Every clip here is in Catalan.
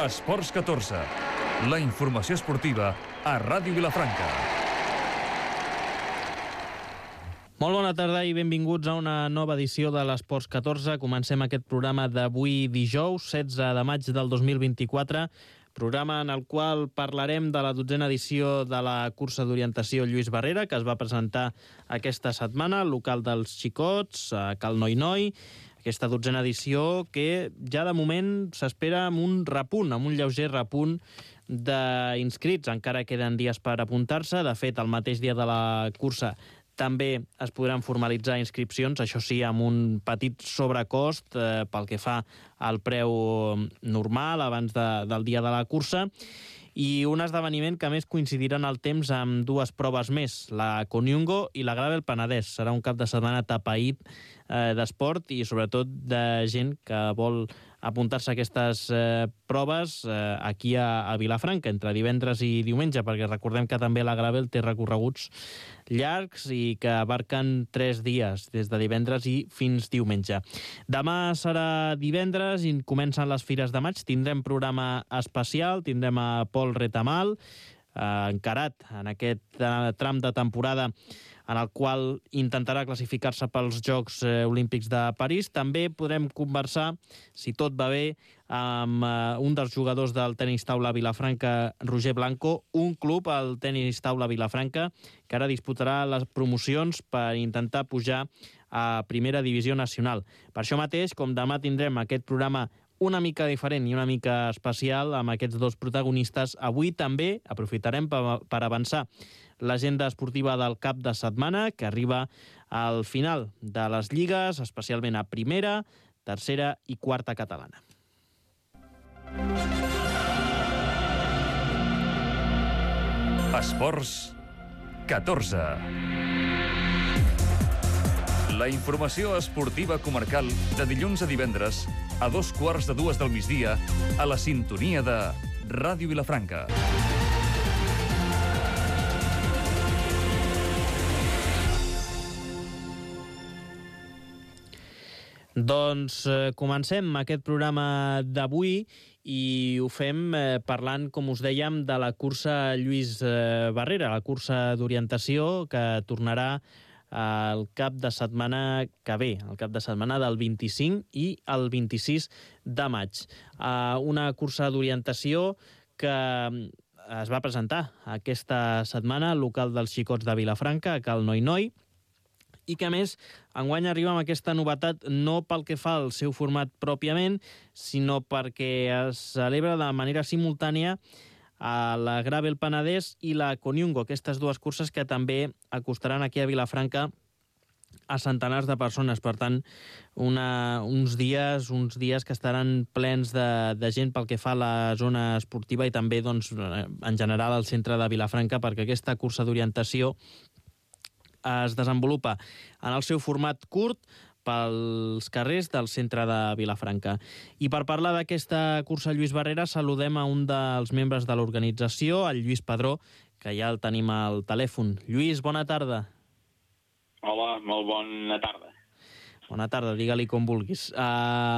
Esports 14, la informació esportiva a Ràdio Vilafranca. Molt bona tarda i benvinguts a una nova edició de l'Esports 14. Comencem aquest programa d'avui dijous, 16 de maig del 2024, programa en el qual parlarem de la 12a edició de la cursa d'orientació Lluís Barrera, que es va presentar aquesta setmana al local dels Xicots, a Cal Noi-Noi. Aquesta 12a edició que ja de moment s'espera amb un repunt, amb un lleuger repunt d'inscrits. Encara queden dies per apuntar-se. De fet, el mateix dia de la cursa també es podran formalitzar inscripcions, això sí, amb un petit sobrecost pel que fa al preu normal abans del dia de la cursa. I un esdeveniment que a més coincidirà en el temps amb dues proves més, la Coniungo i la Gravel Penedès. Serà un cap de setmana tapaït d'esport i sobretot de gent que vol apuntar-se a aquestes proves aquí a Vilafranca, entre divendres i diumenge, perquè recordem que també la Gravel té recorreguts llargs i que abarquen 3 dies, des de divendres i fins diumenge. Demà serà divendres i comencen les Fires de Maig. Tindrem programa especial, tindrem a Pol Retamal, encarat en aquest tram de temporada en el qual intentarà classificar-se pels Jocs Olímpics de París. També podrem conversar, si tot va bé, amb un dels jugadors del tenis taula Vilafranca, Roger Blanco, un club, el tenis taula Vilafranca, que ara disputarà les promocions per intentar pujar a Primera Divisió Nacional. Per això mateix, com demà tindrem aquest programa una mica diferent i una mica especial amb aquests dos protagonistes, avui també aprofitarem per avançar l'agenda esportiva del cap de setmana, que arriba al final de les lligues, especialment a primera, tercera i quarta catalana. Esports 14. La informació esportiva comarcal de dilluns a divendres a 2:15 del migdia a la sintonia de Ràdio Vilafranca. Doncs comencem aquest programa d'avui i ho fem parlant, com us dèiem, de la cursa Lluís Barrera, la cursa d'orientació que tornarà el cap de setmana que ve, el cap de setmana del 25 i el 26 de maig. Una cursa d'orientació que es va presentar aquesta setmana al local dels Xicots de Vilafranca, a Cal Noi-Noi, i que a més enguany arriba amb aquesta novetat no pel que fa al seu format pròpiament, sinó perquè es celebra de manera simultània a la Gravel Penedès i la Coniungo, aquestes dues curses que també acostaran aquí a Vilafranca a centenars de persones. Per tant, uns dies que estaran plens de gent pel que fa a la zona esportiva i també, doncs, en general al centre de Vilafranca, perquè aquesta cursa d'orientació es desenvolupa en el seu format curt pels carrers del centre de Vilafranca. I per parlar d'aquesta cursa Lluís Barrera saludem a un dels membres de l'organització, el Lluís Padró, que ja el tenim al telèfon. Lluís, bona tarda. Hola, molt bona tarda. Bona tarda, digue-li com vulguis.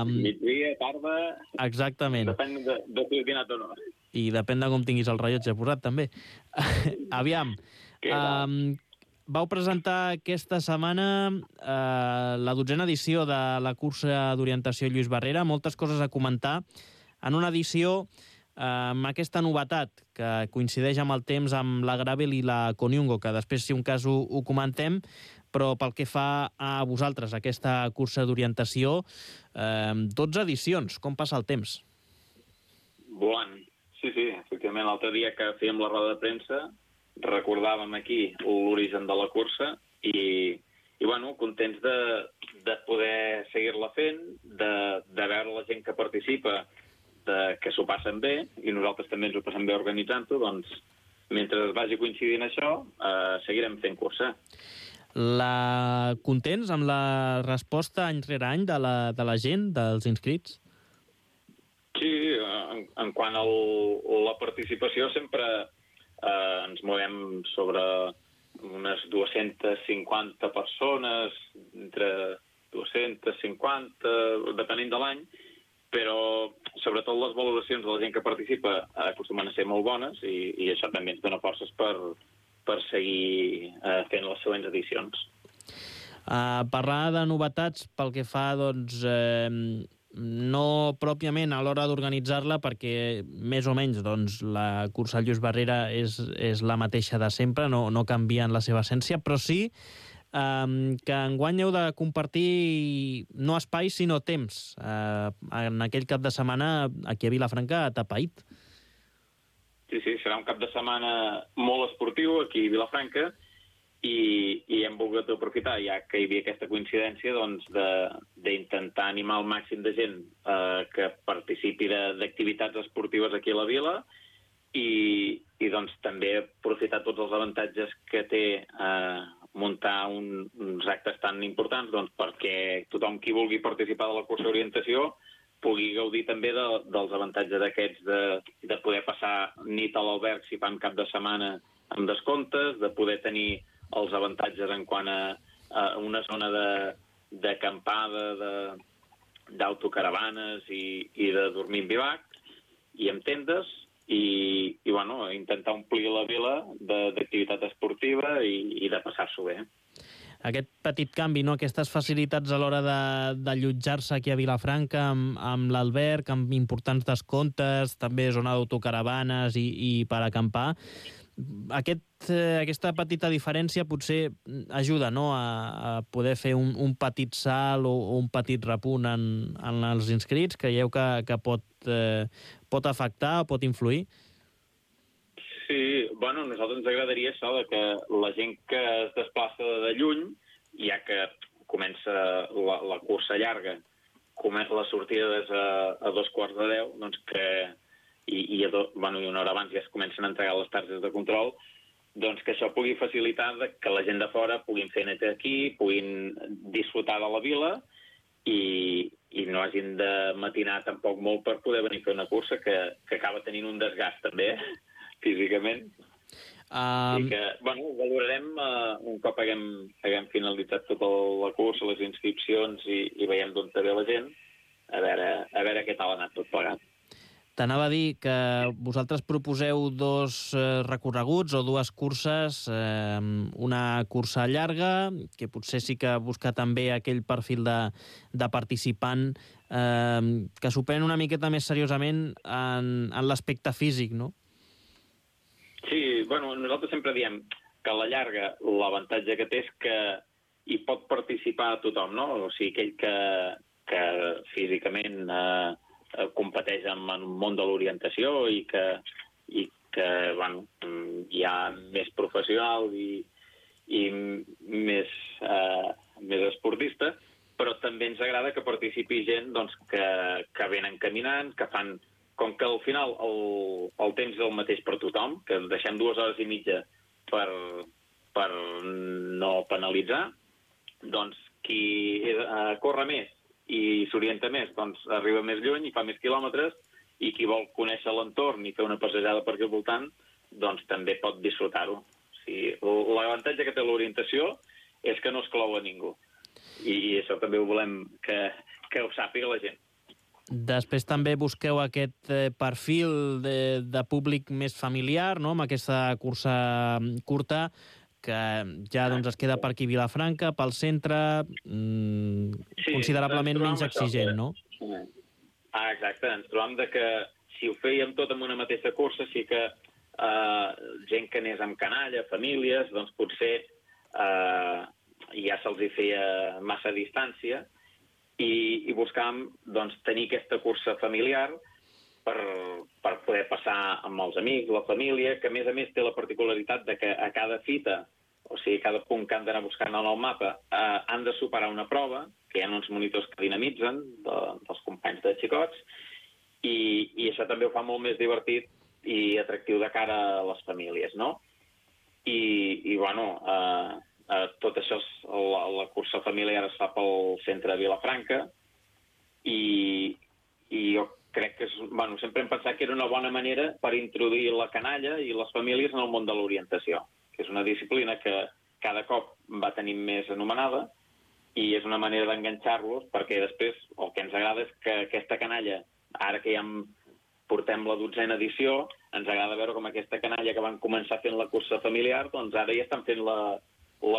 Migdia, tarda... Exactament. Depèn de si he dinat o no. I depèn de com tinguis el rellotge posat, també. Aviam. Vau presentar aquesta setmana la 12a edició de la cursa d'orientació Lluís Barrera. Moltes coses a comentar. En una edició amb aquesta novetat que coincideix amb el temps amb la Gravel i la Coniungo, que després, si un cas, ho comentem, però pel que fa a vosaltres, aquesta cursa d'orientació, 12 edicions. Com passa el temps? Volant. Sí, efectivament, l'altre dia que fèiem la roda de premsa recordàvem aquí l'origen de la cursa i bueno, contents de poder seguir-la fent, de veure la gent que participa, que s'ho passen bé, i nosaltres també ens ho passem bé organitzant-ho, doncs mentre es vagi coincidint això, seguirem fent cursa. Contents amb la resposta any rere any de la gent, dels inscrits? Sí, en quant a la participació sempre ens movem sobre unes 250 persones, entre 250, depenent de l'any, però sobretot les valoracions de la gent que participa acostumen a ser molt bones i això també ens dona forces per seguir fent les següents edicions. Parlar de novetats pel que fa, doncs, no pròpiament a l'hora d'organitzar-la, perquè més o menys doncs, la cursa Lluís Barrera és la mateixa de sempre, no canvia en la seva essència, però sí que enguany heu de compartir no espais sinó temps. En aquell cap de setmana aquí a Vilafranca, a Tapaït. Sí, serà un cap de setmana molt esportiu aquí a Vilafranca i hem volgut aprofitar, ja que hi havia aquesta coincidència, doncs, d'intentar animar el màxim de gent que participi d'activitats esportives aquí a la vila i doncs, també aprofitar tots els avantatges que té muntar uns actes tan importants, doncs, perquè tothom qui vulgui participar de la cursa d'orientació pugui gaudir també dels avantatges d'aquests de poder passar nit a l'alberg si fan cap de setmana amb descomptes, de poder tenir els avantatges en quant a una zona d'acampada, d'autocaravanes i de dormir en bivac i amb tendes i bueno, intentar omplir la vila d'activitat esportiva i de passar-s'ho bé. Aquest petit canvi, no? Aquestes facilitats a l'hora d'allotjar-se aquí a Vilafranca amb l'alberg, amb importants descomptes, també zona d'autocaravanes i per acampar. Aquesta petita diferència potser ajuda, no?, a poder fer un petit salt o un petit repunt en els inscrits. Creieu que pot afectar o pot influir? Sí, bueno, a nosaltres ens agradaria això, que la gent que es desplaça de lluny, ja que comença la cursa llarga, la sortida és a 9:45, doncs i una hora abans ja es comencen a entregar les targetes de control, doncs que això pugui facilitar que la gent de fora puguin fer net aquí, puguin disfrutar de la vila i no hagin de matinar tampoc molt per poder venir a fer una cursa que acaba tenint un desgast també físicament. I que, bueno, valorarem un cop haguem finalitzat tota la cursa, les inscripcions i veiem d'on ve la gent, a veure què tal ha anat tot plegat. T'anava a dir que vosaltres proposeu dos recorreguts o dues curses, una cursa llarga, que potser sí que busca també aquell perfil de participant que s'ho pren una miqueta més seriosament en l'aspecte físic, no? Sí, bueno, nosaltres sempre diem que a la llarga l'avantatge que té és que hi pot participar tothom, no? O sigui, aquell que físicament competeix en el món de l'orientació i que bueno, hi ha més professional i més esportista, però també ens agrada que participi gent doncs, que venen caminant, que fan... Com que al final el temps és el mateix per tothom, que deixem 2 hores i mitja per no penalitzar, doncs qui corre més i s'orienta més, doncs arriba més lluny i fa més quilòmetres, i qui vol conèixer l'entorn i fer una passejada per aquí al voltant, doncs també pot disfrutar-ho. O sigui, l'avantatge que té l'orientació és que no exclou a ningú. I això també ho volem que ho sàpiga la gent. Després també busqueu aquest perfil de públic més familiar, no?, amb aquesta cursa curta, que ja doncs, es queda per aquí Vilafranca, pel centre, considerablement menys exigent, no? Exacte, ens trobam que si ho fèiem tot en una mateixa cursa, sí que gent que anés amb canalla, famílies, doncs potser ja se'ls feia massa distància, i buscàvem doncs, tenir aquesta cursa familiar per poder passar amb els amics, la família, que a més té la particularitat de que a cada fita, o sigui, cada punt que han d'anar buscant en el mapa, han de superar una prova, que hi ha uns monitors que dinamitzen dels companys de xicots, i això també ho fa molt més divertit i atractiu de cara a les famílies, no? I bueno... tot això, la cursa familiar es fa pel centre de Vilafranca i jo crec que sempre hem pensat que era una bona manera per introduir la canalla i les famílies en el món de l'orientació, que és una disciplina que cada cop va tenint més anomenada i és una manera d'enganxar-los, perquè després el que ens agrada és que aquesta canalla, ara que ja portem la 12a edició, ens agrada veure com aquesta canalla que van començar fent la cursa familiar, doncs ara ja estan fent la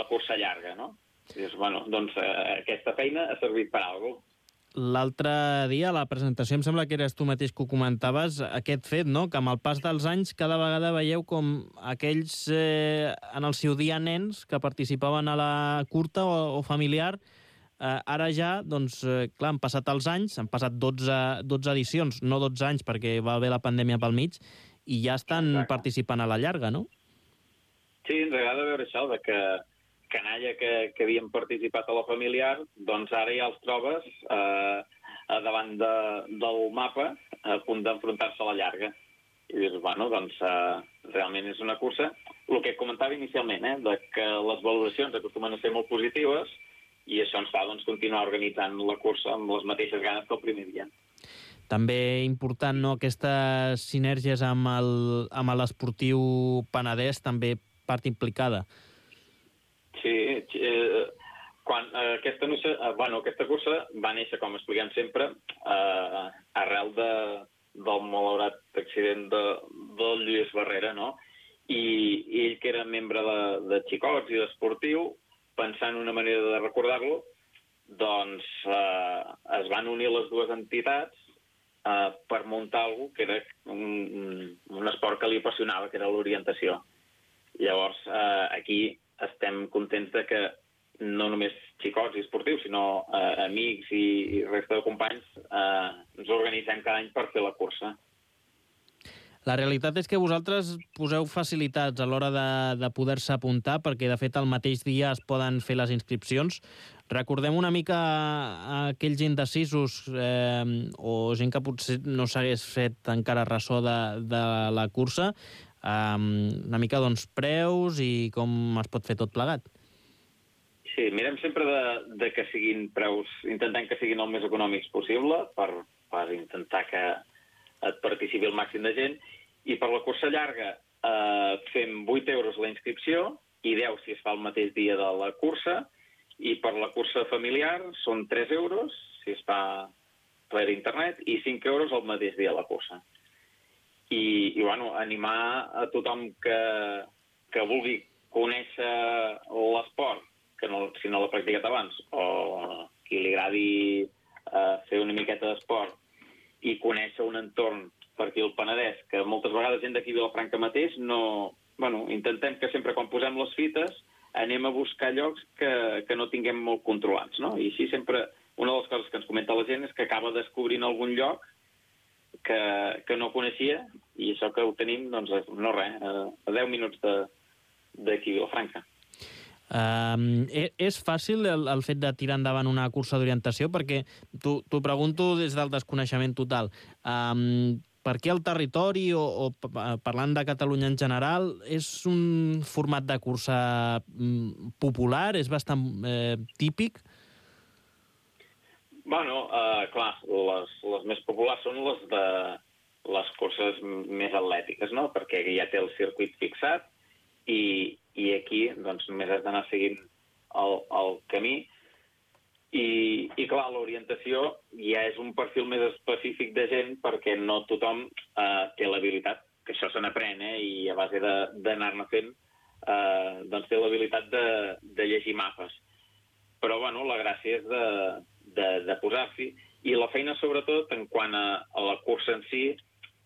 cursa llarga, no? I dius, bueno, doncs aquesta feina ha servit per alguna cosa. L'altre dia, a la presentació, em sembla que eres tu mateix que ho comentaves, aquest fet, no?, que amb el pas dels anys cada vegada veieu com aquells, en el seu dia, nens que participaven a la curta o familiar, ara ja, doncs, clar, han passat els anys, han passat 12 edicions, no 12 anys perquè va haver la pandèmia pel mig, i ja estan participant a la llarga, no? Sí, ens agrada veure això, de que canalla que havien participat a la familiar, doncs ara ja els trobes davant del mapa a punt d'enfrontar-se a la llarga. I dius, bueno, doncs realment és una cursa. El que comentava inicialment, de que les valoracions acostumen a ser molt positives i això ens fa continuar organitzant la cursa amb les mateixes ganes que el primer dia. També important, no?, aquestes sinergies amb l'esportiu Penedès, també part implicada. Sí, aquesta cursa va néixer, com expliquem sempre, arrel del malaurat accident del Lluís Barrera, no? I ell, que era membre de Xicots i d'esportiu, pensant en una manera de recordar-lo, doncs es van unir les dues entitats per muntar alguna cosa que era un esport que li apassionava, que era l'orientació. Llavors, aquí estem contents de que no només xicots i esportius, sinó amics i resta de companys ens organitzem cada any per fer la cursa. La realitat és que vosaltres poseu facilitats a l'hora de poder-se apuntar, perquè, de fet, el mateix dia es poden fer les inscripcions. Recordem una mica aquells indecisos o gent que potser no s'hagués fet encara ressò de la cursa, una mica, doncs, preus i com es pot fer tot plegat. Sí, mirem sempre de que siguin preus, intentem que siguin el més econòmics possible per intentar que et participi el màxim de gent, i per la cursa llarga fem 8 euros la inscripció i 10 si es fa el mateix dia de la cursa, i per la cursa familiar són 3 euros si es fa per internet i 5 euros el mateix dia de la cursa. I bueno, animar a tothom que vulgui conèixer l'esport, que no, si no l'ha practicat abans, o qui li agradi fer una miqueta d'esport i conèixer un entorn per aquí al Penedès, que moltes vegades gent d'aquí a Vilafranca mateix no... Bueno, intentem que sempre quan posem les fites anem a buscar llocs que no tinguem molt controlats, no? I així sempre una de les coses que ens comenta la gent és que acaba descobrint algun lloc que no coneixia, i això que ho tenim, doncs, no res, a 10 minuts d'aquí a Vilafranca. És fàcil el fet de tirar endavant una cursa d'orientació? Perquè t'ho pregunto des del desconeixement total. Per què el territori, o parlant de Catalunya en general, és un format de cursa popular? És bastant típic? Bueno, clar, les més populars són les de les curses més atlètiques, no? Perquè ja té el circuit fixat i aquí doncs només has d'anar seguint el camí i clar, l'orientació ja és un perfil més específic de gent perquè no tothom té l'habilitat, que això se n'aprèn, i a base d'anar-ne fent doncs té l'habilitat de llegir mapes. Però bueno, la gràcia és de posar-s'hi, i la feina sobretot en quant a la cursa en si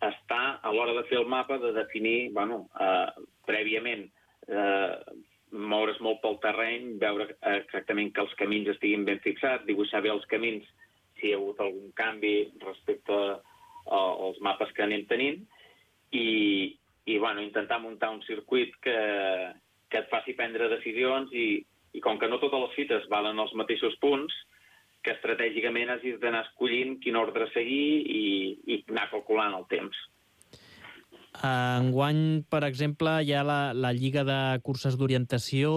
està a l'hora de fer el mapa, de definir, prèviament moure's molt pel terreny, veure exactament que els camins estiguin ben fixats, dibuixar bé els camins si hi ha hagut algun canvi respecte als mapes que anem tenint, i intentar muntar un circuit que et faci prendre decisions, i com que no totes les fites valen als mateixos punts, que estratègicament hagis d'anar escollint quin ordre seguir i anar calculant el temps. Enguany, per exemple, hi ha la Lliga de Curses d'Orientació,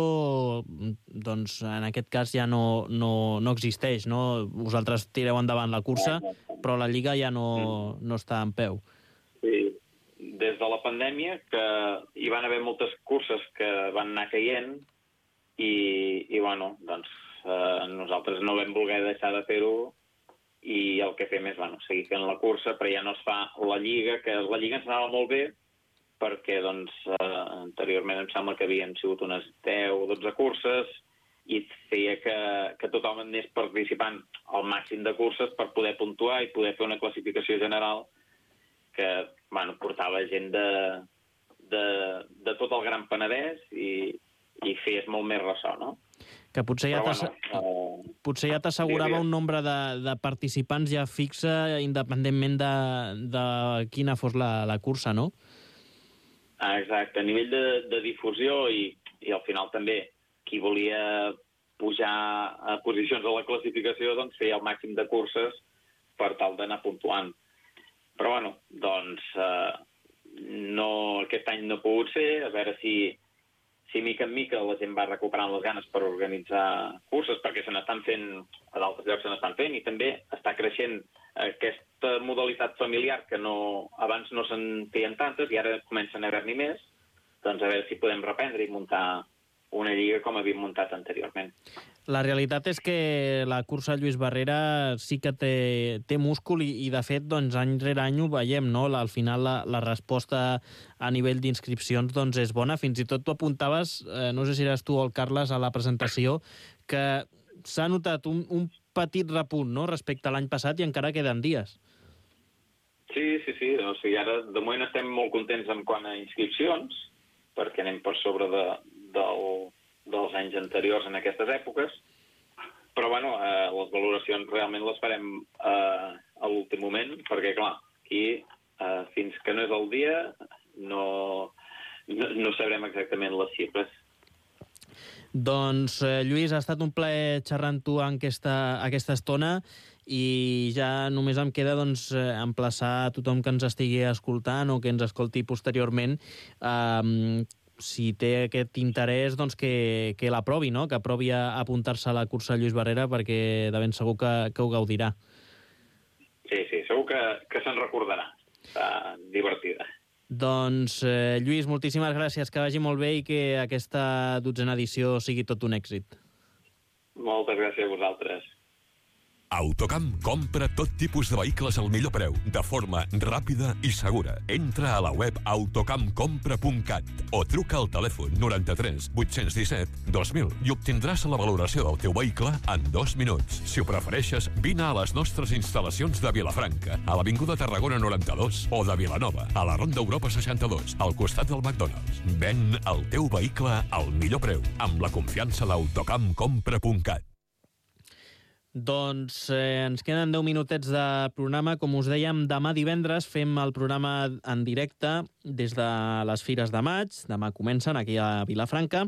doncs en aquest cas ja no existeix, no? Vosaltres tireu endavant la cursa, però la Lliga ja no està en peu. Sí, des de la pandèmia, que hi van haver moltes curses que van anar caient, i bueno, doncs nosaltres no vam voler deixar de fer-ho i el que fem és seguir fent la cursa, però ja no es fa la Lliga, que la Lliga ens anava molt bé perquè anteriorment em sembla que havien sigut unes 10 o 12 curses i feia que tothom anés participant al màxim de curses per poder puntuar i poder fer una classificació general que portava gent de tot el Gran Penedès i feies molt més ressò, no? Que potser ja t'assegurava un nombre de participants ja fixa, independentment de quina fos la cursa, no? Exacte. A nivell de difusió i al final també qui volia pujar a posicions a la classificació doncs feia el màxim de curses per tal d'anar puntuant. Però aquest any no ha pogut ser, a veure si mica en mica la gent va recuperant les ganes per organitzar curses, perquè se n'estan fent, a d'altres llocs se n'estan fent, i també està creixent aquesta modalitat familiar que abans no se'n feien tantes i ara comencen a haver-n'hi més, doncs a veure si podem reprendre i muntar una lliga com havíem muntat anteriorment. La realitat és que la cursa Lluís Barrera sí que té múscul i de fet, doncs, any rere any ho veiem, no? Al final la resposta a nivell d'inscripcions doncs, és bona. Fins i tot tu apuntaves, no sé si eres tu o el Carles a la presentació, que s'ha notat un petit repunt, no?, respecte a l'any passat i encara queden dies. Sí. O sigui, ara de moment estem molt contents en quant a inscripcions, perquè anem per sobre dels anys anteriors en aquestes èpoques, però les valoracions realment les farem a l'últim moment, perquè clar, aquí fins que no és el dia no sabrem exactament les xifres. Doncs, Lluís, ha estat un plaer xerrar amb tu en aquesta estona i ja només em queda emplaçar a tothom que ens estigui escoltant o que ens escolti posteriorment si té aquest interès, doncs que l'aprovi, no?, que aprovi a apuntar-se a la cursa Lluís Barrera, perquè de ben segur que ho gaudirà. Sí, segur que se'n recordarà. Està divertida. Doncs, Lluís, moltíssimes gràcies, que vagi molt bé i que aquesta 12a edició sigui tot un èxit. Moltes gràcies a vosaltres. Autocamp compra tot tipus de vehicles al millor preu, de forma ràpida i segura. Entra a la web autocampcompra.cat o truca al telèfon 93 817 2000 i obtindràs la valoració del teu vehicle en 2 minuts. Si ho prefereixes, vine a les nostres instal·lacions de Vilafranca, a l'Avinguda Tarragona 92 o de Vilanova, a la Ronda Europa 62, al costat del McDonald's. Ven el teu vehicle al millor preu, amb la confiança d'autocampcompra.cat. Doncs ens queden 10 minutets de programa. Com us dèiem, demà divendres fem el programa en directe des de les Fires de Maig. Demà comencen aquí a Vilafranca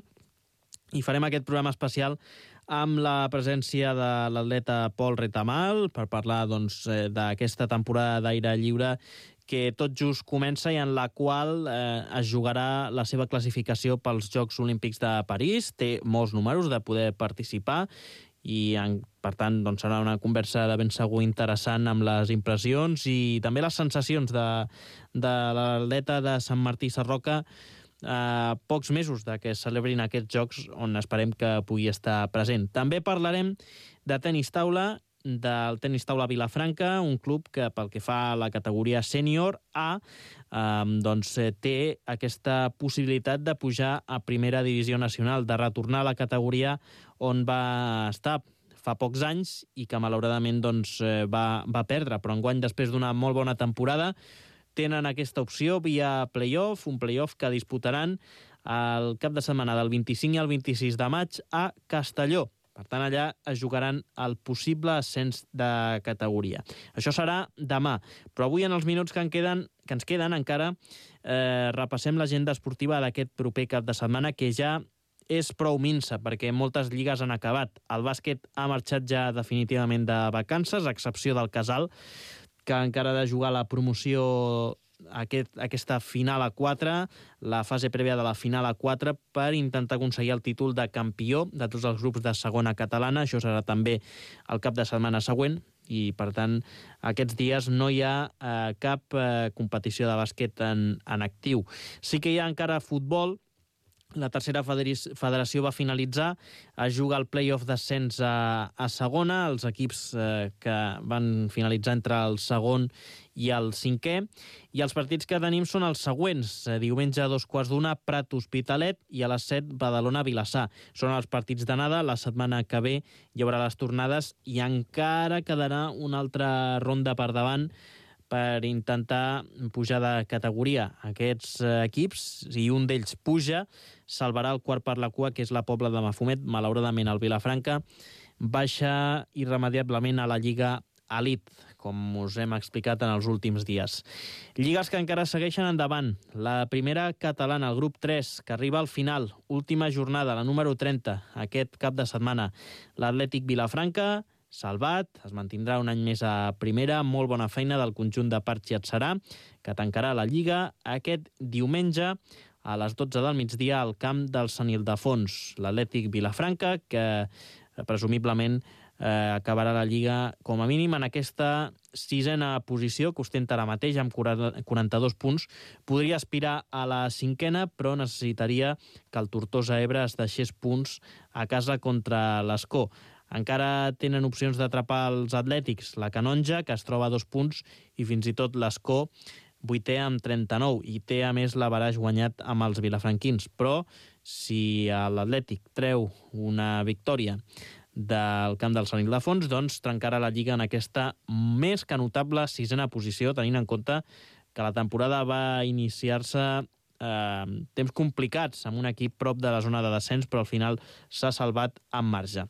i farem aquest programa especial amb la presència de l'atleta Pol Retamal per parlar d'aquesta temporada d'aire lliure que tot just comença i en la qual es jugarà la seva classificació pels Jocs Olímpics de París. Té molts números de poder participar i, per tant, serà una conversa de ben segur interessant amb les impressions i també les sensacions de l'atleta de Sant Martí Sarroca a pocs mesos de que es celebrin aquests Jocs on esperem que pugui estar present. També parlarem de tenis taula, del tenis taula Vilafranca, un club que pel que fa a la categoria sènior A té aquesta possibilitat de pujar a primera divisió nacional, de retornar a la categoria on va estar fa pocs anys i que malauradament va perdre, però enguany després d'una molt bona temporada tenen aquesta opció via playoff, un playoff que disputaran el cap de setmana del 25 i el 26 de maig a Castelló. Per tant, allà es jugaran el possible ascens de categoria. Això serà demà, però avui en els minuts que ens queden encara repassem l'agenda esportiva d'aquest proper cap de setmana, que ja és prou minsa, perquè moltes lligues han acabat. El bàsquet ha marxat ja definitivament de vacances, a excepció del Casal, que encara ha de jugar la promoció aquesta final a 4, la fase prèvia de la final a 4, per intentar aconseguir el títol de campió de tots els grups de segona catalana. Això serà també el cap de setmana següent i, per tant, aquests dies no hi ha cap competició de bàsquet en actiu. Sí que hi ha encara futbol. La tercera federació va finalitzar, es juga el play-off d'ascens a segona, els equips que van finalitzar entre el segon i el cinquè, i els partits que tenim són els següents. Diumenge a 2:15, Prat Hospitalet, i a les 7, Badalona-Vilassar. Són els partits d'anada. La setmana que ve hi haurà les tornades i encara quedarà una altra ronda per davant per intentar pujar de categoria. Aquests equips, si un d'ells puja, salvarà el quart per la cua, que és la Pobla de Mafumet. Malauradament, el Vilafranca baixa irremediablement a la Lliga Elite, com us hem explicat en els últims dies. Lligues que encara segueixen endavant. La primera catalana, el grup 3, que arriba al final. Última jornada, la número 30, aquest cap de setmana. L'Atlètic Vilafranca, salvat, es mantindrà un any més a primera. Molt bona feina del conjunt de Parchi Atzarà, que tancarà la Lliga aquest diumenge a les 12 del migdia al camp del Sant Ildefons. L'Atlètic Vilafranca, que presumiblement acabarà la Lliga com a mínim en aquesta sisena posició que ostenta ara mateix amb 42 punts. Podria aspirar a la cinquena, però necessitaria que el Tortosa Ebre es deixés punts a casa contra l'Escó. Encara tenen opcions d'atrapar els atlètics, la Canonja, que es troba a 2 punts, i fins i tot l'Escó, 8è amb 39, i té a més l'averaix guanyat amb els vilafranquins. Però si l'Atlètic treu una victòria del camp del Sant Ildefons, doncs trencarà la Lliga en aquesta més que notable sisena posició, tenint en compte que la temporada va iniciar-se temps complicats, amb un equip prop de la zona de descens, però al final s'ha salvat amb marge.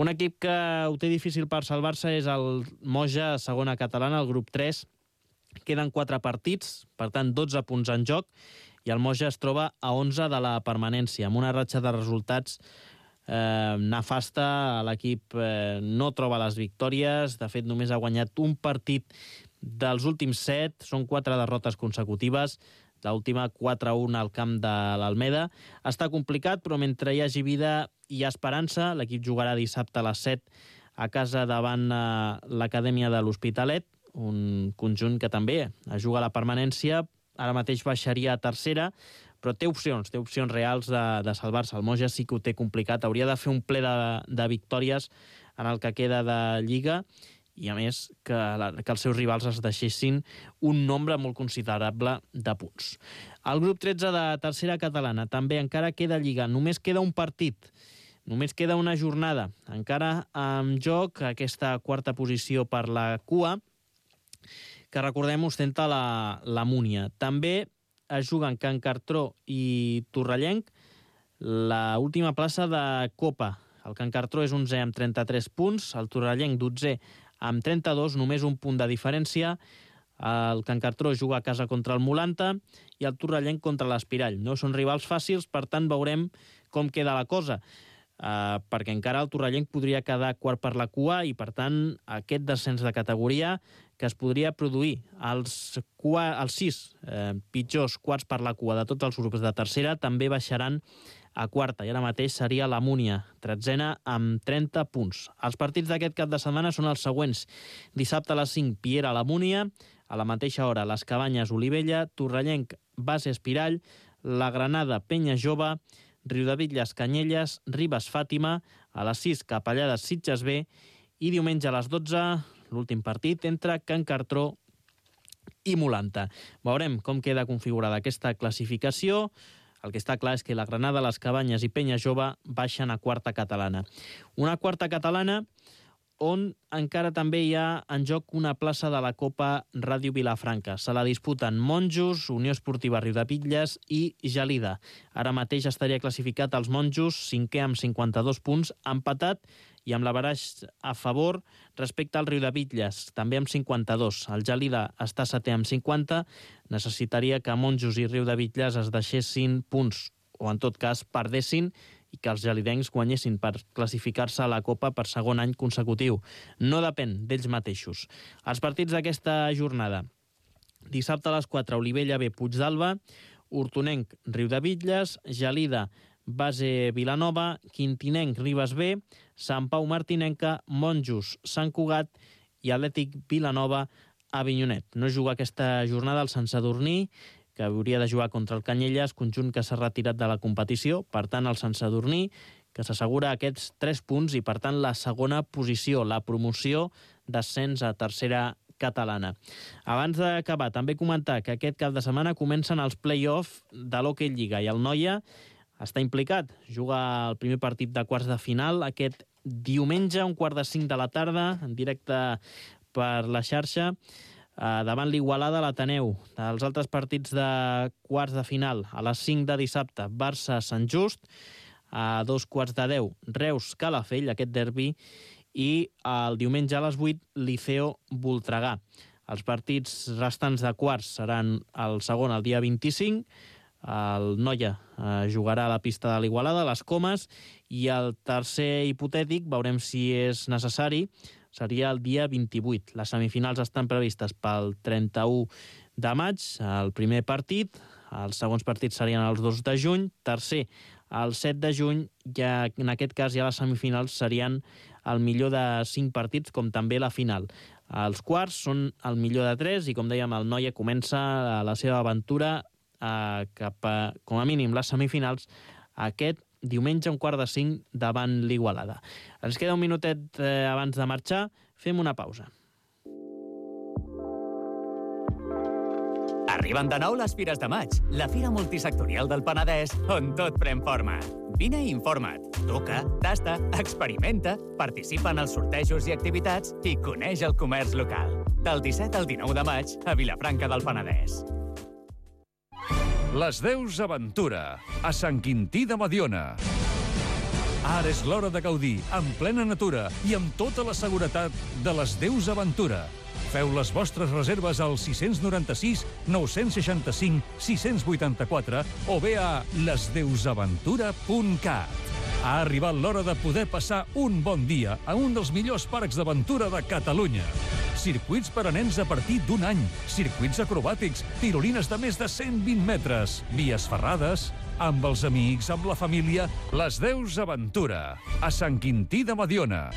Un equip que ho té difícil per salvar-se és el Moja, segona catalana, el grup 3. Queden 4 partits, per tant 12 punts en joc, i el Moja es troba a 11 de la permanència, amb una ratxa de resultats nefasta. L'equip no troba les victòries, de fet només ha guanyat un partit dels últims 7, són 4 derrotes consecutives, l'última 4-1 al camp de l'Almeda. Està complicat, però mentre hi hagi vida hi ha esperança. L'equip jugarà dissabte a les 7 a casa davant l'Acadèmia de l'Hospitalet, un conjunt que també juga a la permanència, ara mateix baixaria a tercera, però té opcions reals de salvar-se. El Moja sí que ho té complicat, hauria de fer un ple de victòries en el que queda de Lliga, i a més que els seus rivals es deixessin un nombre molt considerable de punts. El grup 13 de tercera catalana també encara queda Lliga, només queda un partit, només queda una jornada, encara en joc aquesta quarta posició per la cua, que recordem ostenta la Múnia. També es juguen Can Cartró i Torrellenc l'última plaça de Copa. El Can Cartró és 11è amb 33 punts, el Torrellenc 12è amb 32, només un punt de diferència. El Can Cartró juga a casa contra el Molanta i el Torrellenc contra l'Espirall. No són rivals fàcils, per tant veurem com queda la cosa, perquè encara el Torrellenc podria quedar quart per la cua i, per tant, aquest descens de categoria que es podria produir els 6 pitjors quarts per la cua de tots els grups de tercera també baixaran a quarta, i ara mateix seria la Múnia, 13a amb 30 punts. Els partits d'aquest cap de setmana són els següents. Dissabte a les 5, Piera a la Múnia, a la mateixa hora les Cabanyes Olivella, Torrellenc Base Espirall, la Granada Penya Jove, Riudebitlles Canyelles, Ribes Fàtima, a les 6 Capellades Sitges B, i diumenge a les 12 l'últim partit entre Can Cartró i Molanta. Veurem com queda configurada aquesta classificació. El que està clar és que la Granada, les Cabanyes i Penya Jove baixen a quarta catalana. Una quarta catalana on encara també hi ha en joc una plaça de la Copa Ràdio Vilafranca. Se la disputen Monjos, Unió Esportiva Riudebitlles i Gelida. Ara mateix estaria classificat els Monjos, 5è amb 52 punts, empatat i amb l'averaix a favor respecte al Riudebitlles, també amb 52. El Gelida està 7è amb 50. Necessitaria que Monjos i Riudebitlles es deixessin punts, o en tot cas perdessin, i que els gelidencs guanyessin per classificar-se a la Copa per segon any consecutiu. No depèn d'ells mateixos. Els partits d'aquesta jornada. Dissabte a les 4, Olivella B, Puigdàlber, Hortonenc, Riudebitlles, Gelida, Base Vilanova, Quintinenc, Ribes B, Sant Pau Martinenca, Monjos, Sant Cugat i Atlètic Vilanova, Avinyonet. No juga aquesta jornada el Sant Sadurní, que hauria de jugar contra el Canyelles, conjunt que s'ha retirat de la competició. Per tant, el Sant Sadurní, que s'assegura aquests 3 punts i, per tant, la segona posició, la promoció d'ascens a tercera catalana. Abans d'acabar, també comentar que aquest cap de setmana comencen els play-off de l'Hockey Lliga i el Noia està implicat. Juga el primer partit de quarts de final aquest diumenge, 4:45 de la tarda, en directe per la xarxa, davant l'Igualada a l'Ateneu. Els altres partits de quarts de final, a les 5 de dissabte, Barça-Sant Just, a 2:15, Reus-Calafell, aquest derbi, i el diumenge a les 8, Liceo-Voltregà. Els partits restants de quarts seran el segon el dia 25, el Noia jugarà a la pista de l'Igualada, a les Comes, i el tercer hipotètic, veurem si és necessari, seria el dia 28. Les semifinals estan previstes pel 31 de maig, el primer partit, els segons partits serien els 2 de juny, tercer el 7 de juny, i en aquest cas ja les semifinals serien el millor de 5 partits, com també la final. Els quarts són el millor de 3 i, com dèiem, el Noia comença la seva aventura cap a, com a mínim, les semifinals aquest diumenge, 4:45, davant l'Igualada. Ens queda un minutet abans de marxar. Fem una pausa. Arriben de nou les Fires de Maig, la fira multisectorial del Penedès, on tot pren forma. Vine i informa't, toca, tasta, experimenta, participa en els sortejos i activitats i coneix el comerç local. Del 17 al 19 de maig a Vilafranca del Penedès. Les Deus Aventura, a Sant Quintí de Mediona. Ara és l'hora de gaudir, en plena natura i amb tota la seguretat de les Deus Aventura. Feu les vostres reserves al 696 965 684 o bé a lesdeusaventura.cat. Ha arribat l'hora de poder passar un bon dia a un dels millors parcs d'aventura de Catalunya. Circuits per a nens a partir d'1 any, circuits acrobàtics, tirolines de més de 120 metres, vies ferrades, amb els amics, amb la família, les Deus Aventura, a Sant Quintí de Mediona.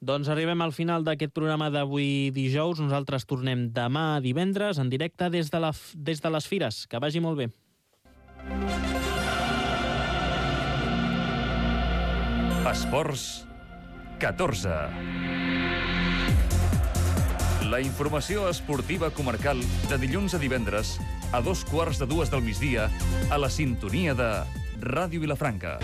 Doncs arribem al final d'aquest programa d'avui dijous. Nosaltres tornem demà divendres en directe des de les Fires. Que vagi molt bé. Esports 14. La informació esportiva comarcal de dilluns a divendres a 2:15 del migdia a la sintonia de Ràdio Vilafranca.